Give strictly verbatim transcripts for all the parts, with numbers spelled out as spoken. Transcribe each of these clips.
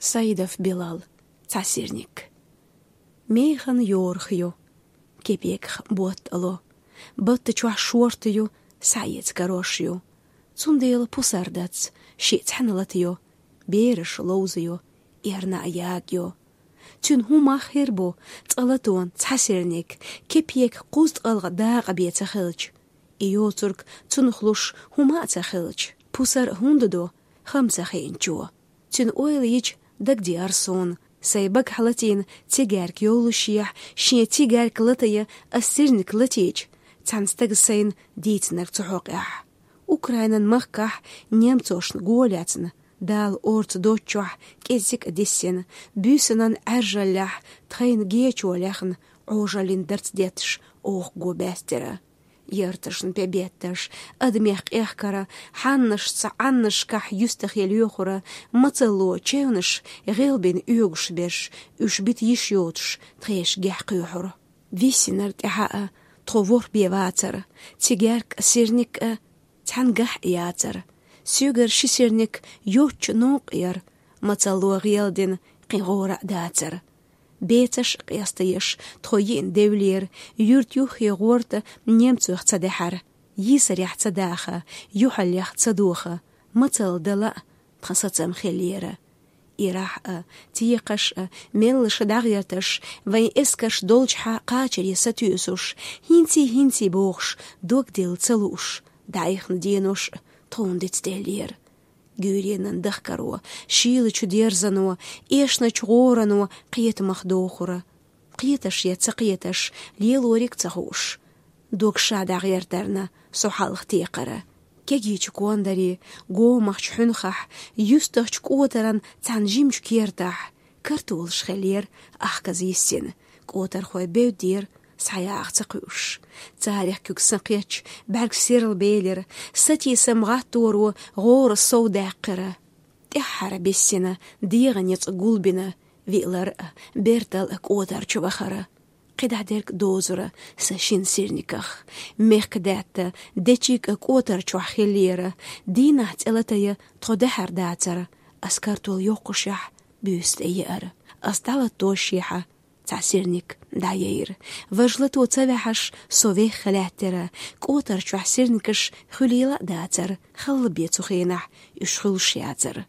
Саидов Билал. Цхьа сирник. Механа йорах ю, кепеках ботт ло, батта чохь шорта ю, схьаэца карош ю. Цундела пусар дац, шиъ цхьаьна лата ю, бераш ловза ю, эрна а яга ю. Цуьнан хӀун мах хир бу, цкъа латон цхьа сирник, кепеках кхузткъалгӀа дакъа бен ца хилча? И йоцург цунах луш хӀума а ца хилча, пусар хӀунда до, хам ца хиъначо? Цуьнан ойла йича дагадеара суна, сайн багахь латийна цигаьрка йоллушехь, шен цигаьрка латайа ас сирник латийча, цхьана стага сайна дийцинарг цу хьокъехь. Украинан махкахь немцошна го лаьцна, Дала орца доцчохь кӀеззиг а диссина, буьйсанан Ӏаьржаллехь тхайна гечо лаьхна, Ӏожаллин дарц детташ оха го баьстира. Ярташна пе бетташ, адамех къехкара, хьаннашца Ӏаннашкахь юьстахе лоьхура, мацалло чевнаш гӀелбина оьгуш берш, уьш бита йиш йоцуш, тхешгахь кхоьхьура. Виссинарг тӀаьхьа а тхо ворхӀ бен вацара, цигаьрка а, сирник а цхьаьнгахь а яцара. Соьгара ши сирник йоцчу новкъа яра, мацалло гӀелдина кхин гӀора а дацара. Бецаш а къеста еш, тхо йиъна девлера, юьрта юххе гӀорта немцойх ца даьхьара, йийсарехь ца даха, юьхьаллех ца доха, мацалла дала а тхан сацам хиллера. Ирахь а, текхаш а, меллаша дӀагӀерташ, вайн эскарш долчухьа кхачаре сатуьйсуш, хӀинций-хӀинций бохуш, дог дилла ца лууш, дӀаихна денош а тхуна дицделлера. Гуьйренан дахкаро, шийлачу дерзано, эшначу гӀорано кхетамах дохура. Кхеташ я ца кхеташ, лелориг ца хууш. Дог ша дӀагӀертарна со хьалха текхара. Кегийчу кондарий, гомахчу хьуьнхахь, юьстахчу кӀотаран цхьана жимачу кертахь, картолаш хиллера ахказа йиссина, кӀотархой бевддера, схьаяха ца кхуьуш. Царех куьг сан кхетча, бӀаьрг серла белира, сатийсам гӀатторо гӀора сов даьккхира. ТӀаьххьара биссина, дегӀан ницкъ гулбина, виълар а, бертал а кӀотар чу вахара. КхидӀа дерг дозура сан шина сирниках. Мехкдаьтта, дечиг а кӀотар чохь хиллера, дийнахь цӀе латайа тхо даьхьар дацара, ас картол йоккхушехь, буьйса тӀе еара. Ас дӀалатошехьа, цхьа сирник дӀаяйра. Важа лато ца ваьхьаш, со вехха лаьттира, кӀотар чохь сирникаш хуьлийла а дацара, халла бен цу хенахь уьш хуьлуш яцара.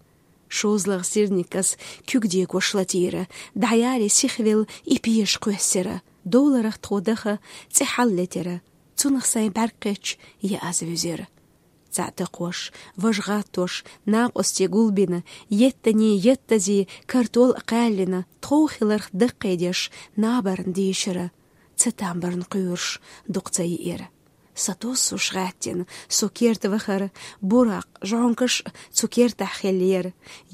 ШозлагӀа сирникас куьг дегош латийра, дӀаяре сихвелла и пеша кхоьссира. Довларах тхо даха цӀе хьаллетира, цунах сайн бӀаьрг кхетча, я аз вуьзира. Цхьаъ такхош, важа гӀаттош, накъостий гулбина, еттанийн еттазе картол а кхаьллина, тхов хиларх даккхийдеш, набарна дийшира, ца тамбарна кхуьйруш дукха ца йиира. Сатоссуш гӀаьттина, со керта вахара, буракъ, жӀонкаш а цу кертахь хиллера,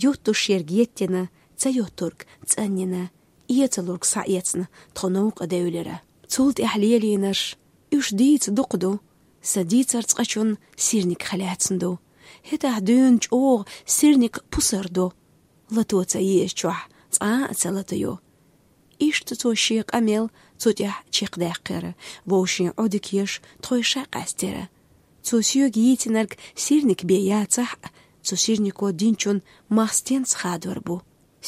юттуш ерг еттина, ца юттург цӀанйина, эцалург схьаэцна, тхо новкъа девлира. Цул тӀаьхьа лелийнарш, уьш дийца дукха ду, сан дийцар цкъачунна сирник хилаьцна ду. ХӀетахь дуьйна чӀогӀа сирник пусар ду. Лато ца езачохь цкъа а ца латайо. Иштта цо шен къамел цу тӀехь чекхдаьккхира, вовшийн Ӏодика еш тхойша къаьстира. Цо соьга йийцинарг сирник бен яцахь а, цу сирнико динчун мах стенца хадор бу.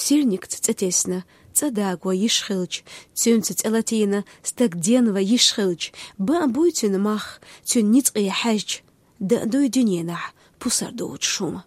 Сирникца цӀе тесна, цӀа даго йиш хилча, цуьнца цӀе латийна стаг денва йиш хилча, бан буй цуьнан мах, цуьнан ницкъе хьаьжча, дан дуй дуьненахь пусар доцуш хӀума.